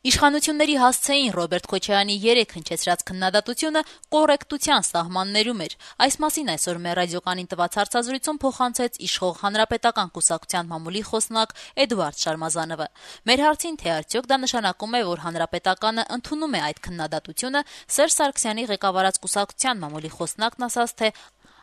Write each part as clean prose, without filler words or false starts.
Իշխանությունների հասցեին Ռոբերտ Քոչարյանի 3 հնչեցրած քննադատությունը կոռեկտության սահմաններում էր։ Այս մասին այսօր մեր ռադիոկանին տված հարցազրույցում փոխանցեց իշխող Հանրապետական կուսակցության մամուլի խոսնակ Էդուարդ Շարմազանովը։ Մեր հարցին, թե արդյոք դա նշանակում է, որ Հանրապետականը ընդունում է այդ քննադատությունը, Սերժ Սարգսյանի ղեկավարած կուսակցության մամուլի խոսնակն ասաց, թե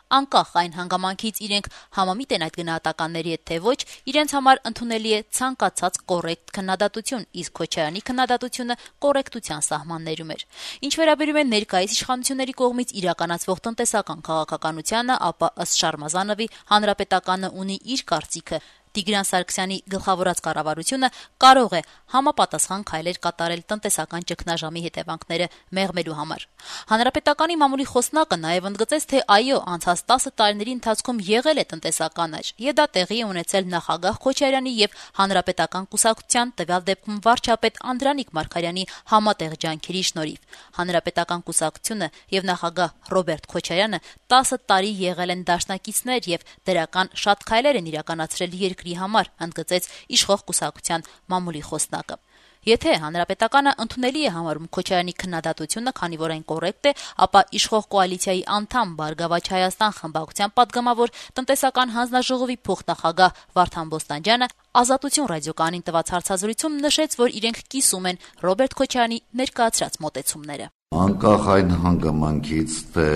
անկախ այն հանգամանքից իրենք համամիտ են այդ գնահատականների հետ, թե ոչ, իրենց համար ընդունելի է ցանկացած կոռեկտ քննադատություն, իսկ Քոչարյանի քննադատությունը կոռեկտության սահմաններում էր։ Ինչ վերաբերում է ներկայիս իշխանությունների կողմից իրականացվող տնտեսական քաղաքականությանը, ապա ըստ Շարմազանովի Հանրապետականը ունի իր կարծիքը։ Տիգրան Սարգսյանի գլխավորած կառավարությունը կարող է համապատասխան քայլեր կատարել տնտեսական ճգնաժամի հետևանքները մեղմելու համար։ Հանրապետականի մամուլի խոսնակը նաև ընդգծեց, թե այո, անցած 10 տարիների ընթացքում եղել է տնտեսական աճ, եւ դա տեղի է ունեցել նախագահ Քոչարյանի եւ Հանրապետական կուսակցության, տվյալ դեպքում վարչապետ Անդրանիկ Մարգարյանի համատեղ ջանքերի շնորհիվ։ Հանրապետական կուսակցությունը եւ նախագահ Ռոբերտ Քոչարյանը 10 տարի եղել են դաշնակիցներ եւ դրական շատ քայլեր են իրականացրել երկրի համար, ընդգծեց իշխող կուսակցության մամուլի խոսնակը։ Եթե Հանրապետականը ընդունելի է համարում Քոչարյանի քննադատությունը, քանի որ այն կոռեկտ է, ապա իշխող կոալիցիայի անդամ Բարգավաճ Հայաստան խմբակցության պատգամավոր տնտեսական հանձնաժողովի փոխնախագահ Վարդան Բոստանջյանը Ազատություն ռադիոկանին տված հարցազրույցում նշեց, որ իրենք կիսում են Ռոբերտ Քոչարյանի ներկայացրած մոտեցումները։ Անկախ այն հանգամանքից, թե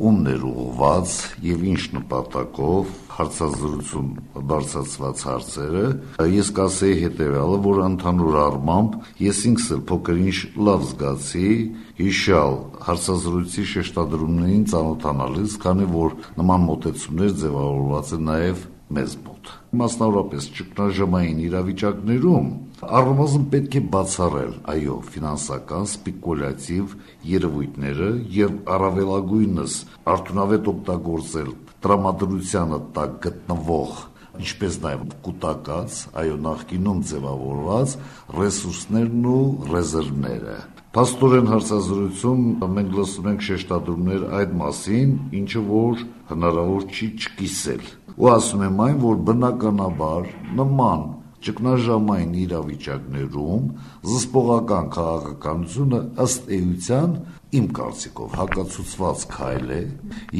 ումն էր ուղղված եւ ինչ նպատակով հարցազրույցում բարձրացված հարցերը, ես կասեի հետեւյալը, որ ընդհանուր առմամբ ես ինքս էլ փոքր-ինչ լավ զգացի հիշալ հարցազրույցի շեշտադրումներին ծանոթանալիս, քանի որ նման մոտեցումներ ձևավորված են նաեւ մեզ մոտ։ Մասնավորապես ճգնաժամային իրավիճակներում առնվազն պետք է բացառել, այո, ֆինանսական սպեկուլյատիվ երևույթները եւ առավելագույնս արդյունավետ օգտագործել տրամադրությանը տակ գտնվող, ինչպես նաեւ կուտակած, այո, նախկինում ձևավորված ռեսուրսներն ու ռեզերվները։ Փաստորեն հարցազրույցում մենք լսում ենք շեշտադրումներ այդ մասին, ինչը որ հնարավոր չի չկիսել։ Ու ասում եմ այն, որ բնականաբար նման ճգնաժամային իրավիճակներում զսպողական քաղաքականությունը ըստ էության իմ կարծիքով հակացուցված քայլ է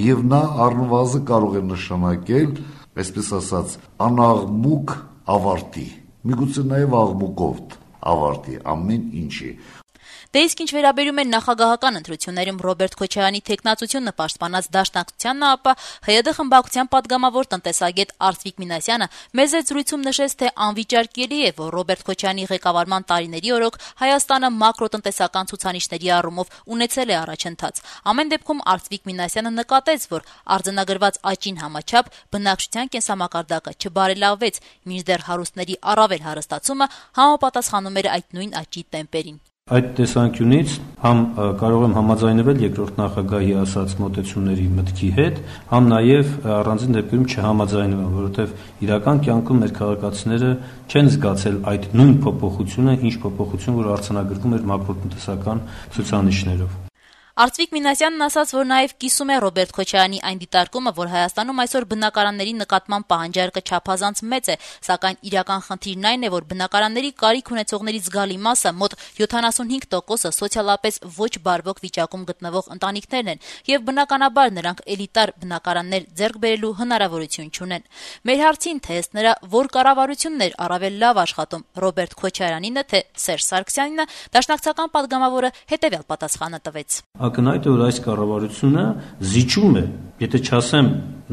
եւ նա առնվազն կարող է նշանակել, այսպես ասած, անաղմուկ ավարտի, միգուցե նաեւ աղմուկով ավարտի ամեն ինչի։ Դե իսկ ինչ վերաբերում է նախագահական ընտրություններում Ռոբերտ Քոչարյանի թեկնածությունը պաշտպանած դաշնակցությանը, ապա ՀՅԴ խմբակցության պատգամավոր տնտեսագետ Արծվիկ Մինասյանը մեզ այդ զրույցում նշեց, թե անվիճարկելի է, որ Ռոբերտ Քոչարյանի ղեկավարման տարիների օրոք Հայաստանը մակրոտնտեսական ցուցանիշների առումով ունեցել է առաջընթաց։ Ամեն դեպքում Արծվիկ Մինասյանը նկատեց, որ արձանագրված աճին համաչափ բնակչության կենսամակարդակը չբարելավվեց, մինչդեռ հարուստների առավել հարստացումը համապատասխանում էր այդ նույն աճի տեմպերին։ Այդ տեսանկյունից համ կարող եմ համաձայնվել երկրորդ նախագահի ասած մոտեցումների մտքի հետ, համ նաև առանձին դեպքերում չհամաձայնվել, որովհետև իրական կյանքում մեր քաղաքացիները չեն զգացել այդ նույն փոփոխությունը, ինչ փոփոխություն, որ արձանագրվում էր մակրոտնտեսական ցուցանիշներով։ Արծվիկ Մինասյանն ասաց, որ նաև կիսում է Ռոբերտ Քոչարյանի այն դիտարկումը, որ Հայաստանում այսօր բնակարանների նկատմամբ պահանջարկը չափազանց մեծ է, սակայն իրական խնդիրն այն է, որ բնակարանների կարիք ունեցողների զգալի մասը, մոտ 75%-ը սոցիալապես ոչ բարվոք վիճակում գտնվող ընտանիքներն են, եւ բնականաբար նրանք էլիտար բնակարաններ ձեռք բերելու հնարավորություն չունեն։ Մեր հարցին, թե ըստ նրա, որ կառավարությունն էր առավել լավ աշխատում, Ռոբերտ Քոչարյանինը, թե Սերժ Սարգսյանինը, դաշնակցական պատգամավորը հետեւյալ պատասխանը տվեց։ Ակնհայտ է, որ այս կառավարությունը զիջում է, եթե չասեմ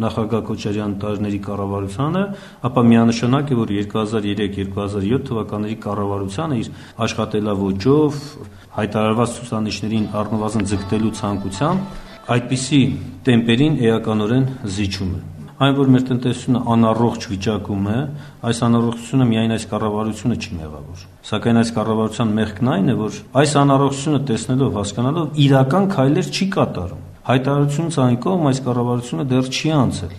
նախագահ Քոչարյանի տարիների կառավարությանը, ապա միանշանակ է, որ 2003-2007 թվականների կառավարությանը իր աշխատելավոճով հայտարարված ցուցանիշներին առնվազն ձգտելու ցանկությամբ այդպիսի տեմպերին էականորեն զիջում է։ Այն, որ մեր տնտեսությունը անառողջ վիճակում է, այս անառողջությունը միայն այս կառավարությունը չի մեղավոր։ Սակայն այս կառավարության մեղքն այն է, որ այս անառողջությունը տեսնելով, հասկանալով իրական քայլեր չի կատարում։ Հայտարարությունից այն կողմ այս կառավարությունը դեռ չի անցել։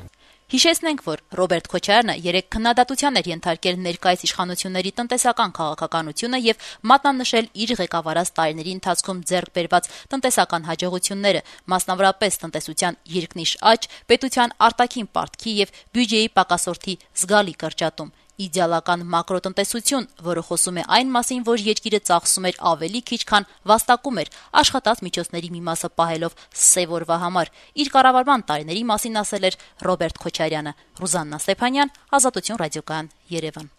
Հիշեցնենք, որ Ռոբերտ Քոչարյանը 3 քննադատության էր ենթարկել ներկայիս իշխանությունների տնտեսական քաղաքականությունը եւ մատնանշել իր ղեկավարած տարիների ընթացքում ձեռք բերված տնտեսական հաջողությունները, մասնավորապես տնտեսության երկնիշ աճ, պետության արտաքին պարտքի եւ բյուջեի պակասորթի զգալի կրճատում։ իդեալական մակրոտնտեսություն, որը խոսում է այն մասին, որ երկիրը ծախսում էր ավելի քիչ, քան վաստակում էր, աշխատած միջոցների մի մասը պահելով սև օրվա համար։ Իր կառավարման տարիների մասին ասել էր Ռոբերտ Քոչարյանը։ Ռուզաննա Ստեփանյան, Ազատություն ռադիոկայան, Երևան։